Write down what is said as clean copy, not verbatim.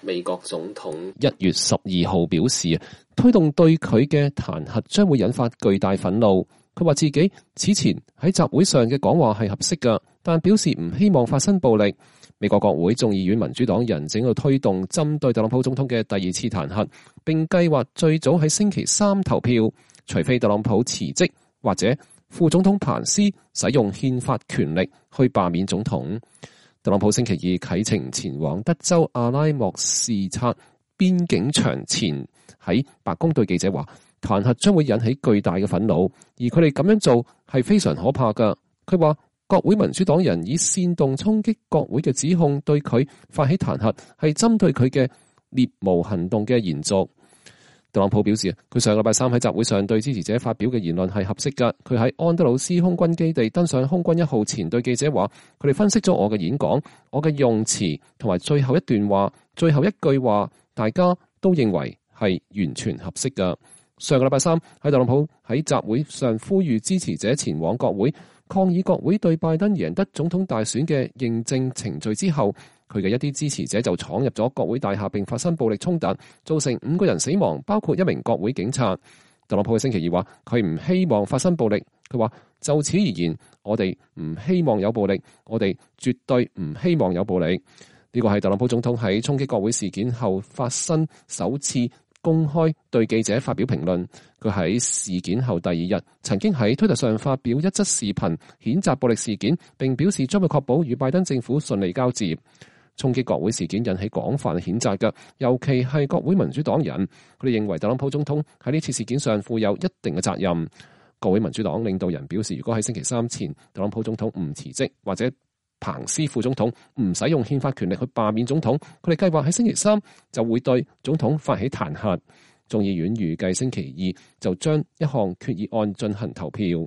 美國總統1月12號表示，推動對佢嘅彈劾將會引發巨大憤怒。佢話自己此前喺集會上嘅講話係合適㗎，但表示唔希望發生暴力。美國國會眾議院民主黨人正喺度推動針對特朗普總統嘅第二次彈劾，並計劃最早喺星期三投票，除非特朗普辭職或者副總統彭斯使用憲法權力去罷免總統。特朗普星期二啟程前往德州阿拉莫視察邊境牆前，喺白宮對記者話，彈劾將會引起巨大嘅憤怒，而佢哋咁樣做係非常可怕㗎。佢話國會民主黨人以煽動衝擊國會嘅指控對佢發起彈劾，係針對佢嘅獵巫行動嘅延續。特朗普表示，佢上個禮拜三喺集會上對支持者發表嘅言論係合適㗎。佢喺安德魯斯空軍基地登上空軍1號前對記者話，佢哋分析咗我嘅演講，我嘅用詞同埋最後一段話、最後一句話，大家都認為係完全合適㗎。上個禮拜三喺特朗普喺集會上呼籲支持者前往國會抗議國會對拜登贏得總統大選嘅認證程序之後，佢嘅一啲支持者就闖入咗國會大廈並發生暴力衝突，造成5個人死亡，包括1名國會警察。特朗普喺星期二話佢唔希望發生暴力，佢話就此而言，我哋唔希望有暴力，我哋絕對唔希望有暴力。呢個係特朗普總統喺衝擊國會事件後發生首次公開對記者發表評論。佢喺事件後第2日曾經喺推特上發表一則視頻譴責暴力事件，並表示將會確保與拜登政府順利交接。衝擊國會事件引起廣泛譴責嘅，尤其係國會民主黨人，佢哋認為特朗普總統喺呢次事件上負有一定嘅責任。國會民主黨領導人表示，如果喺星期三前特朗普總統唔辭職，或者彭斯副總統唔使用憲法權力去罷免總統，佢哋計劃喺星期三就會對總統發起彈劾。眾議院預計星期二就將一項決議案進行投票。